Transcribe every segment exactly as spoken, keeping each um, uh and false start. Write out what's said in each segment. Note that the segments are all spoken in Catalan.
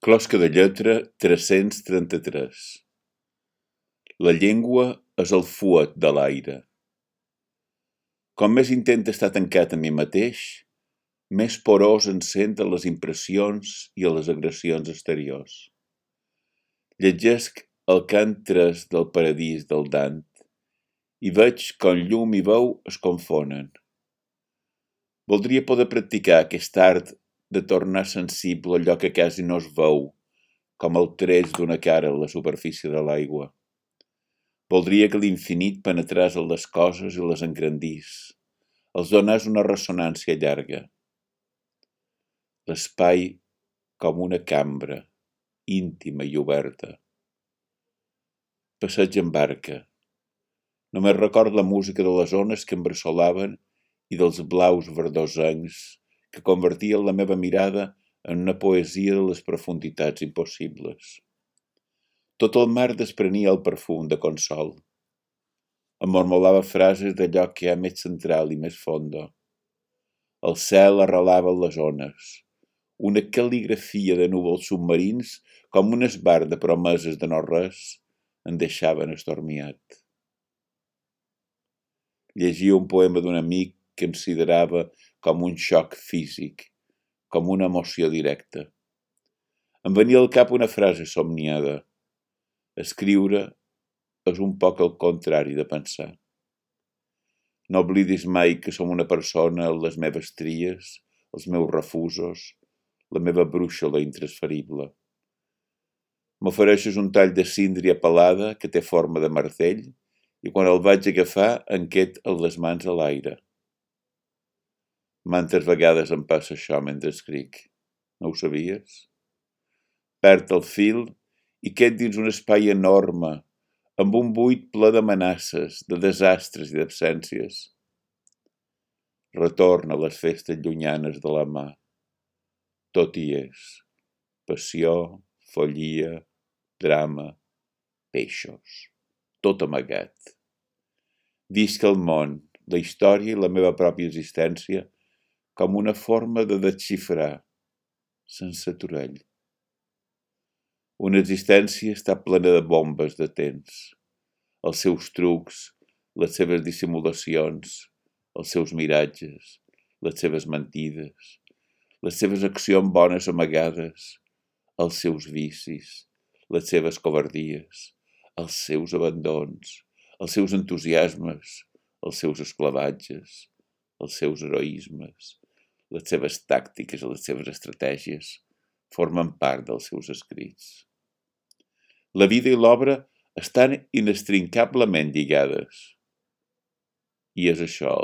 Closca de lletra tres-cents trenta-tres. La llengua és el fuet de l'aire. Com més intento estar tancat a mi mateix, més porós em sent a les impressions i a les agressions exteriors. Llegesc el cant tres del paradís del Dant i veig com llum i veu es confonen. Voldria poder practicar aquest art de tornar sensible allò que quasi no es veu, com el treix d'una cara a la superfície de l'aigua. Voldria que l'infinit penetrés en les coses i les engrandís, els donés una ressonància llarga. L'espai com una cambra, íntima i oberta. Passeig en barca. Només record la música de les ones que em bressolaven i dels blaus verdosencs que convertien la meva mirada en una poesia de les profunditats impossibles. Tot el mar desprenia el perfum de consol. Em mormolava frases d'allò que hi ha més central i més fondo. El cel arrelava les ones, una cal·ligrafia de núvols submarins com un esbar de promeses de no-res em deixaven estormiat. Llegia un poema d'un amic que em considerava com un xoc físic, com una emoció directa. Em venia al cap una frase somniada. Escriure és un poc el contrari de pensar. No oblidis mai que som una persona amb les meves tries, els meus refusos, la meva brúixola intransferible. M'ofereixes un tall de síndria pelada que té forma de martell i quan el vaig agafar em qued amb les mans a l'aire. Mantes vegades em passa això mentre escric. No ho sabies? Perd el fil i qued dins un espai enorme, amb un buit ple d'amenaces, de desastres i d'absències. Retorna a les festes llunyanes de la mà. Tot hi és. Passió, follia, drama, peixos. Tot amagat. Visc el món, la història i la meva pròpia existència com una forma de desxifrar, sense aturall. Una existència està plena de bombes de temps, els seus trucs, les seves dissimulacions, els seus miratges, les seves mentides, les seves accions bones amagades, els seus vicis, les seves covardies, els seus abandons, els seus entusiasmes, els seus esclavatges, els seus heroismes, les seves tàctiques i les seves estratègies formen part dels seus escrits. La vida i l'obra estan inextricablement lligades. I és això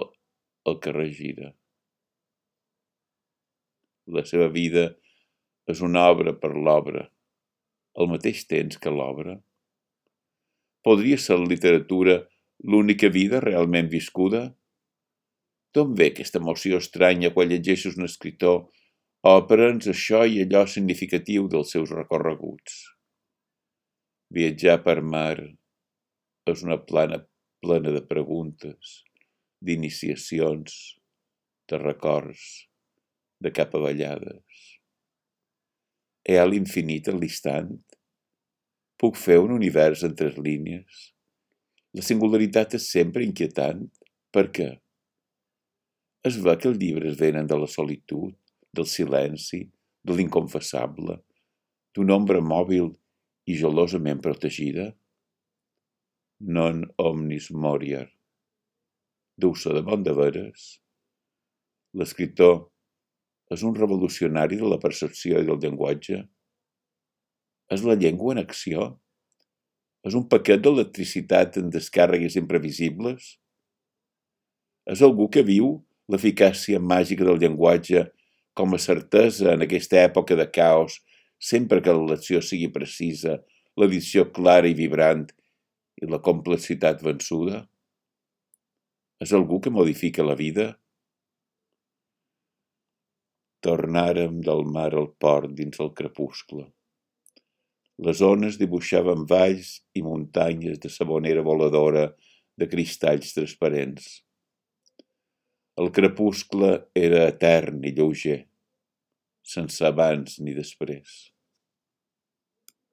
el que regira. La seva vida és una obra per l'obra, al mateix temps que l'obra. Podria ser la literatura l'única vida realment viscuda? D'on ve aquesta emoció estranya quan llegeixes un escriptor o aprens això i allò significatiu dels seus recorreguts? Viatjar per mar és una plana plena de preguntes, d'iniciacions, de records, de capavallades. Hi ha l'infinit en l'instant? Puc fer un univers en tres línies? La singularitat és sempre inquietant. Per què? Es ve que els llibres venen de la solitud, del silenci, de l'inconfessable, d'una ombra mòbil i gelosament protegida? Non omnis moriar. Deu ser de bon de veres? L'escriptor és un revolucionari de la percepció i del llenguatge? És la llengua en acció? És un paquet d'electricitat en descàrregues imprevisibles? És algú que viu l'eficàcia màgica del llenguatge com a certesa en aquesta època de caos, sempre que l'elecció sigui precisa, l'edició clara i vibrant i la complexitat vençuda? És algú que modifica la vida? Tornàrem del mar al port dins el crepuscle. Les ones dibuixaven valls i muntanyes de sabonera voladora de cristalls transparents. El crepuscle era etern i lleuger, sense abans ni després.